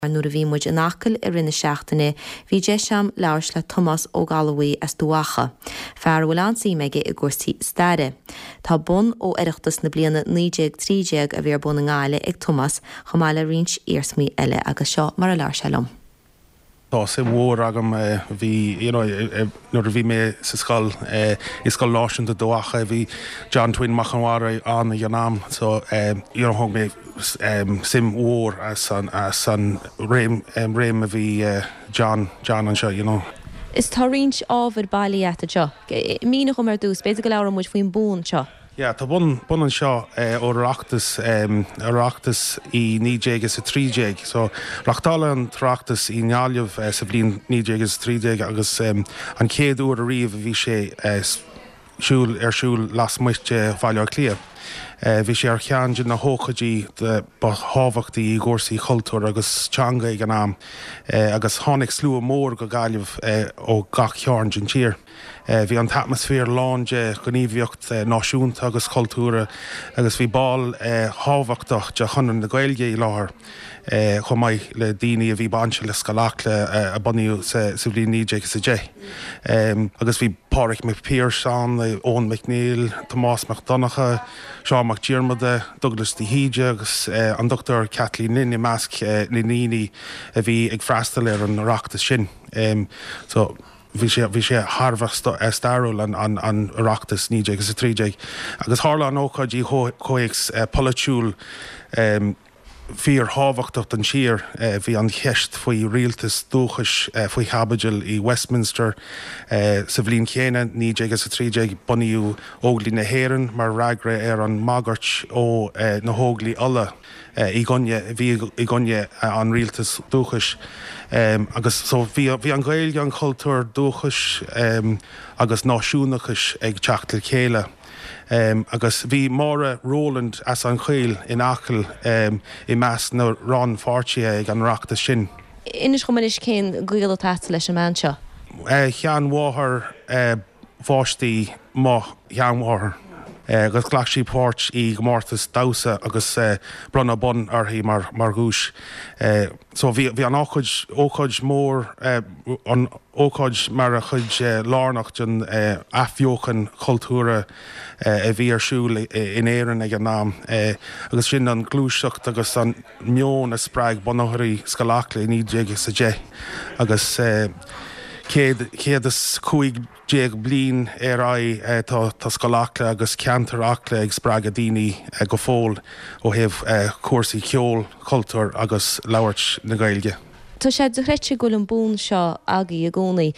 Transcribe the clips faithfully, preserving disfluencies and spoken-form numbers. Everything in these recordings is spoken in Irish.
Nuair a bhí muid in Acaill i rith na seachtaine, bhí deis agam labhairt le Tomás Ó Gallmhaí as Dumhacha, fear a bhfuil an-suim aige i gcúrsaí staire. Tá bonn ó Oireachtas na bliana naoi déag trí déag a bhí ar bun i nGaillimh ag Tomás, chomh maith le roinnt iarsmaí eile agus seo mar a labhair sé liom. Tá suim mhór agam bhí you know, nuair a bhí mé sa scoil i Scoil Náisiúnta Dumhacha bhí John Twin Mac an Bharra ann ag an am so you know, thóg mé suim mhór as an, as an réim, réim a bhí John, John anseo, you know. Is tá roinnt ábhar bailithe agat anseo. Mínigh dom ar dtús, b'fhéidir go labhróidh muid faoin bonn seo. Yeah, tá bonn bonn anseo ó Oireachtas Oireachtas i naoi déag is a trí déag. So reáchtáladh an tOireachtas i nGaillimh sa bhliain naoi déag is a trí déag agus um, an chéad uair ariamh a bhí sé siúl ar siúl lasmuigh de Bhaile Átha Cliath. Bhí sé ar cheann de na hócáidí ba thábhachtaí i gcúrsaí cultúir agus teanga ag an am, agus tháinig slua mór go Gaillimh ó gach cearn den tír. Bhí an t-atmaisféar lán de ghníomhaíocht náisiúnta agus cultúrtha agus bhí baill thábhachtacha de Chonradh na Gaeilge i láthair chomh maith le daoine a bhí bainte le Scoil Acla a bunaíodh sa bhliain naoi déag is a deich. Agus bhí Pádraig Mac Piarais ann, Eoin MacNeill, Tomás Mac Donncha, Seán Mac Diarmada, Douglas de hÍde agus an Dr Kathleen Lynn i measc na ndaoine a bhí ag freastal ar an Oireachtas sin. So bhí sé bhí sé thar a bheith stairiúil an an an Oireachtas naoi déag is a trí déag. Agus tharla an ócáid i gcomhthéacs polaitiúil fíorthábhachtach don tír. Bhí an cheist faoi rialtas dúchais faoi chaibidil i Westminster sa bhliain chéanna naoi déag is a trí déag bunaíodh Óglaigh na hÉireann mar fhreagra ar an mbagairt ó na hÓglaigh Uladh i gcoinne bhí i gcoinne an rialtas dúchais. Agus so bhí bhí an Ghaeilge an cultúr dúchais agus náisiúnachais ag teacht le chéile. Um, agus bhí Máire Rowland as an Choill in Acaill um, i measc na rannpháirtithe ag an Oireachtas sin. Inis dom anois cén gaol atá leis an mbean seo. Uh, Sheanmháthair uh, pháistí mo sheanmháthair. Agus ghlac sí páirt i gcomórtas damhsa agus uh, bronnadh bonn uirthi mar mar dhuais. Uh, so bhí bhí an ócáid ócáid mór uh, an ócáid mar a chuid uh, lárnach den uh, athbheochan cultúrtha uh, a bhí ar siúl in Éirinn ag an am. Uh, agus sin an gluaiseacht agus an meon a spreag bunaitheoirí Scoil Acla naoi déag is a deich agus uh, céad céad is cúig déag bliain ar aghaidh tá tá Scoil Acla agus ceantar Acla ag spreagadh daoine go fóill ó thaobh cúrsaí ceol, cultúr agus labhairt na Gaeilge. Tá sé dochreidte go bhfuil an bonn seo agaibh i gcónaí.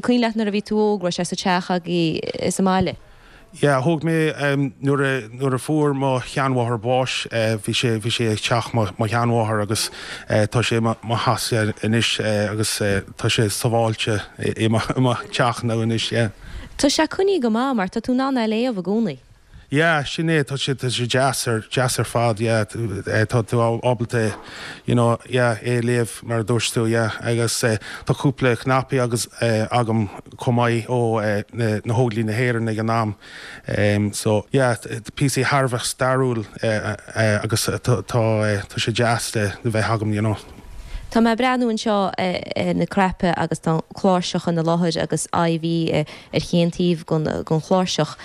Cuimhin leat nuair a bhí tú óg raibh sé sa teach agaibh sa mbaile. Yeah, thóg mé um, nuair a nuair a fuair mo sheanmháthair bás uh, bhí sé bhí sé ag teach mo sheanmháthair agus uh, tá sé mo theachsa anois uh, agus uh, tá sé sábháilte i mo teach nó anois. Yeah. Tá sé coinnithe go maith mar tá tú in ann é a léamh i gcónaí. Yeah, sin é tá sé tá sé deas ar deas ar fad yeah, tá tú ábalta you know, yeah, é léamh mar dúirt tú yeah, agus uh, tá cúpla cnaipí agus uh, agam chomh maith ó uh, na, na hÓglaigh na hÉireann ag an am. Um, so yeah, píosa thar a bheith stairiúil uh, uh, agus tá tá uh, sé deas le bheith agam you know. Tá mé ag breathnú anseo na cnaipí agus tá cláirseach ina láthair agus IV ar chaon taobh den chláirseach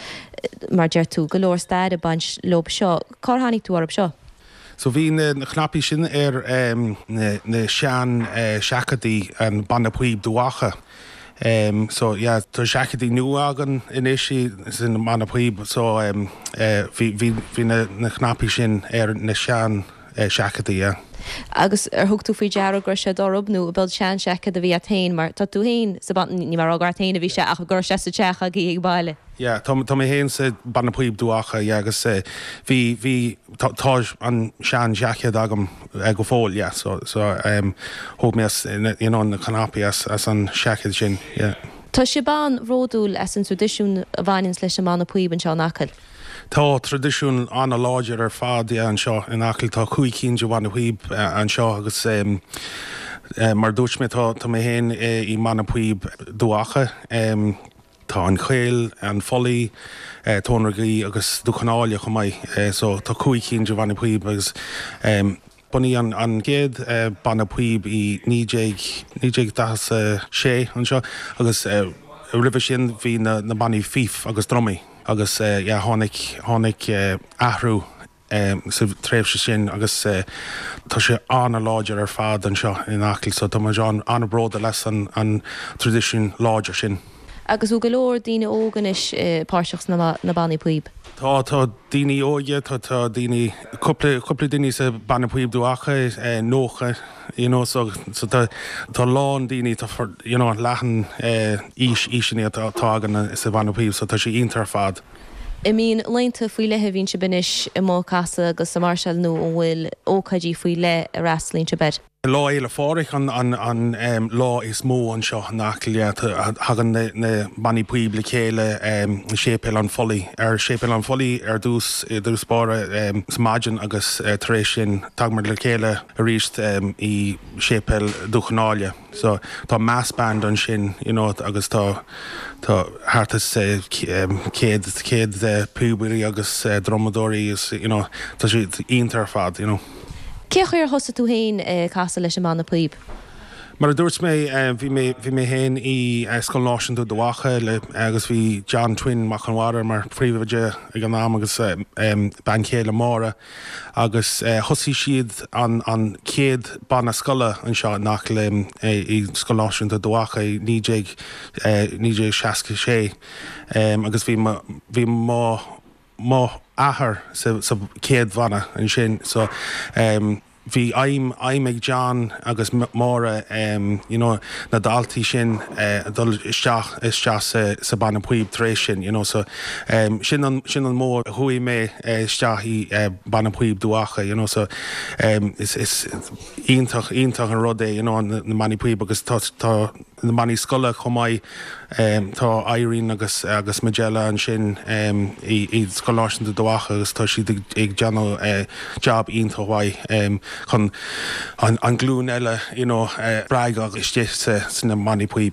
mar deir tú go leor stair ag baint leo seo, Cár tháinig tú orthu seo? So bhí na, na cnaipí sin ar um, na, na sean uh, seaicéidí an banna píob Dumhacha. Um, so yeah, tá seaicéidí nua againn anois sin banna píob so um, uh, bhí, bhí, bhí na, na cnaipí sin ar na sean uh, seaicéidí. Yeah. Agus ar thug tú faoi deara gur sé dorb nó bud sean seaicéad a bhí féin mar tá tú féin sa ní mar agat féin a bhí sé ach gur sé sa teach agaibh ag baile. Yeah, tá tá mé féin sa banna píob Dumhacha yeah, agus uh, bhí bhí tá an sean seaicéad agam uh, go fóill yeah, so so um, thóg mé you know, na cnaipí as, as an seaicéad sin. Yeah. Tá sibh an-bhródúil as an traidisiún a bhaineanns leis an mbanna píob anseo in Acaill. Tá traidisiún an-láidir ar fad anseo in Acaill tá cúig cinn de bhanna píob anseo agus um, uh, mar dúirt mé tá tá mé féin i mbanna píob Dumhacha. Um, tá an Choill, an Folaí, uh, Tóin Gaoith agus Dúchanáile chomh maith, uh, so tá cúig cinn de bhanna píob agus um, Bunaíodh an chéad banna píob i naoi déag naoi déag daichead a sé anseo agus roimhe sin bhí na na bannaí fife agus drumaí agus yeah tháinig tháinig athrú sa tréimhse sin agus tá sé an-láidir ar fad anseo in Acaill so tá muid an-bhródúil as an an traidisiún láidir sin. Agus bhfuil go leor daoine óga anois páirteach sna na bannaí píob? Tá tá daoine óga tá tá daoine cúpla cúpla daoine sa banna píob Dúiche nócha you know so so tá tá lán daoine tá you know leathan aois aoiseanna atá atá againn sa bhanna píob so tá sé iontach ar fad. An mbíonn laethanta faoi leith a bhíonn sibh anois amuigh ag casadh agus ag máirseáil nó an bhfuil ócáidí faoi leith a fhreastalaíonn sibh air? Lá Fhéile Phádraig an an an um, lá is mó anseo in Acaill thagann na, na bannaí píob le chéile um, Séipéal an Phollaigh ar Séipéal an Phollaigh ar dtús i dtús báire um, sa maidin agus uh, tar éis sin tagaimid le chéile arís um, i Séipéal Dumhcha na hAille. So tá mass band ansin you know, agus tá tá thart is céad céad píobairí agus uh, drumadóirí is you know, tá sé iontach ar fad. You know. Cén chaoi ar thosaigh tú féin casadh leis an mbanna píob? Mar a dúirt mé bhí mé bhí mé féin i Scoil Náisiúnta Dubh Acha le agus bhí John Twin Mac an Mhara mar phríomhoide ag an am agus bean chéile Máire agus thosaigh siad an an chéad banna scoile anseo nach le i Scoil Náisiúnta Dubh Acha naoi déag naoi déag seasca sé agus bhí bhí mo mo athair sa sa chéad bhanna ansin so um, bhí aidhm aidhm ag John agus Máire um, you know, na daltaí sin uh, dul isteach isteach sa, sa banna píob tar éis sin you know, so, um, sin an, sin an modh a chuaigh mé uh, isteach i uh, banna píob Dubh Acha you know, so, um, is, is iontach iontach an rud é you know, na, na bannaí píob agus tá, tá na bannaí scoile chomh maith um, tá Irene agus agus Magella ansin um, i, i Scoil Náisiúnta Dubh Acha agus tá siad ag, ag déanamh uh, job iontach mhaith um, chun an, an glún eile you know, uh, spreagadh istigh sa, sna bannaí píob.